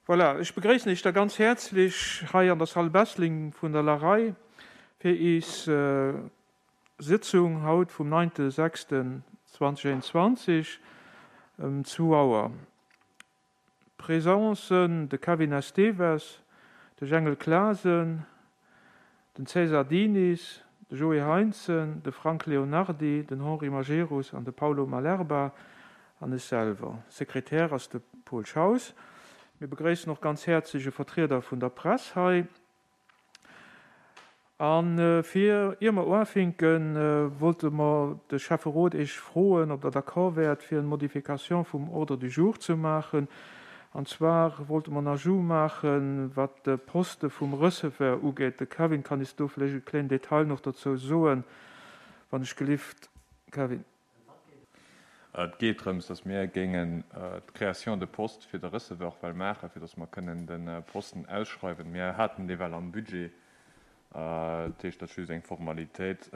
Voilà, ech begréissen Iech da ganz häerzlech hei an der Salle Bessling vun der LAREI fir iis Sëtzung haut vum 9.6.2021 ëm zwou Auer. Présent sënn de Kevin Esteves, de Jengel Clasen, den César Diniz, de Joé Heintzen, de Frank Leonardy, den Henri Majerus an de Paulo Malerba an ech selwer. Sekretär ass de Paul Schaus. Mir begréissen och ganz häerzlech e Vertrieder vun der Press hei. A fir, ier mer uafinken, wollte mer de Schäfferot Iech froen, ob Der d'accord wäert, fir eng Modification vum Ordre du jour ze maachen. An zwar wollte mer en Ajout maachen, wat de Poste vum Receveur ugeet. De Kevin kann is do vläicht e kléinen Detail nach dozou soen, wann ech gelift, Kevin. Et geet drëms, dass mir géingen d'Création de poste fir de Receveur well maachen, fir dass mer kënnen de Posten ausschreiwen. Mir haten dee well am Budget. Dat heescht, dat ass just eng Formalitéit.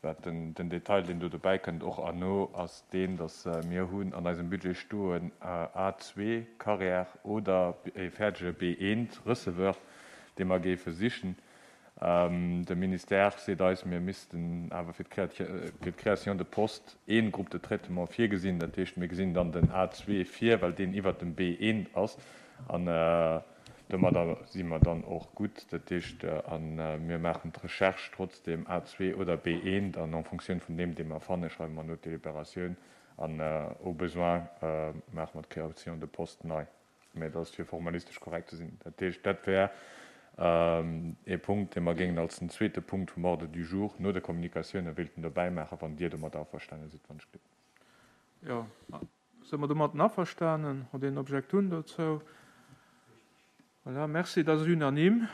Wat den Detail, deen do dobäi kënnt, och erno, ass deen, dass mir hunn an eisem Budget stoen A2 Carrière oder e fäerdege B1 Receveur, dee mer géife sichen. De Ministère seet eis, mir missten awer fir d'Création de postes ee Groupe de traitement virgesinn. Dat heescht, mir gesinn dann den A2 vir, well deen iwwert dem B1 ass. An domadder si mer dann och gutt. Dat heescht, a mir maachen d'Recherche trotzdem A2 oder B1 an en Fonctioun vun deem, dee mer fannen, schreiwe mer no d'Délibératioun an au besoin maache mer d'Création de poste nei. Mä dat ass fir formalistesch korrekt ze sinn. Dat heescht, dat wär ee Punkt, dee mer géingen als den zweete Punkt vum Ordre du jour no de Kommunikatiounen wéilten dobäi maachen, wann Dir domat averstane sidd, wann ech gelift. Jo, si mer domatten averstanen? Huet een Objektun dozou? Voilà, merci, dat ass unanime.